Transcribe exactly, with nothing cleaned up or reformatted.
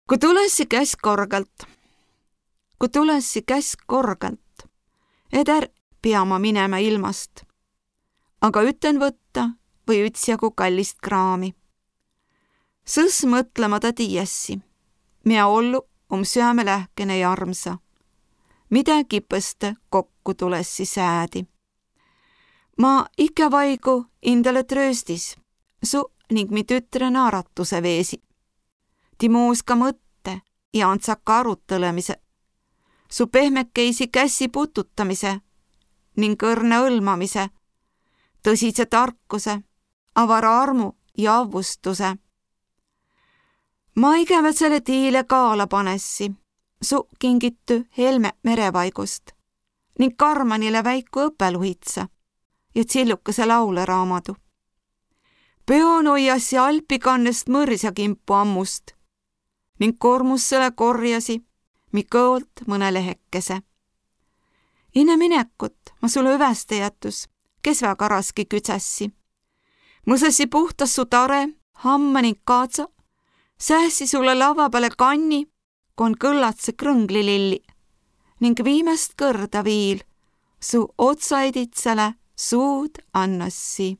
Ku tulessi käs korgalt. Ku tulessi käs korgalt. Eder pea ma minemä ilmast. Aga üten võtta või ütsjagu kallist kraami. Sõs mõtlema da tiiässi, mea ollu om süämelähkene ja armsa. Midä kipõste kokku tulessi säädi. Ma ikä vaigu indale trööstis, su ning mi tütre naaratusõ veesi. Ti muuska mõtte ja andsaka arutõlõmise, su pehmekeisi kässi pututamise ning õrna õlmamise, tõsise tarkuse, avara armu ja avvustuse. Ma igäväsele tiile kaala panessi, su kingitü helme merevaigust ning karmanile väiku õppeluhitsa ja tsillukese lauleraamadu. Peon oiassi alpikannest mõrisa kimpu ammust ning kormussele korjasi mi kõolt mõne lehekese. Inne minekut ma sule üväste jätus, kes väega raski küdsässi. Mõsassi puhtas su tare, hamma ning kaadsa, säässi sule lavva pääle kanni, kon kõllatse krõnglililli, ning viimäst kõrda viil su otsaiditsele suud annassi.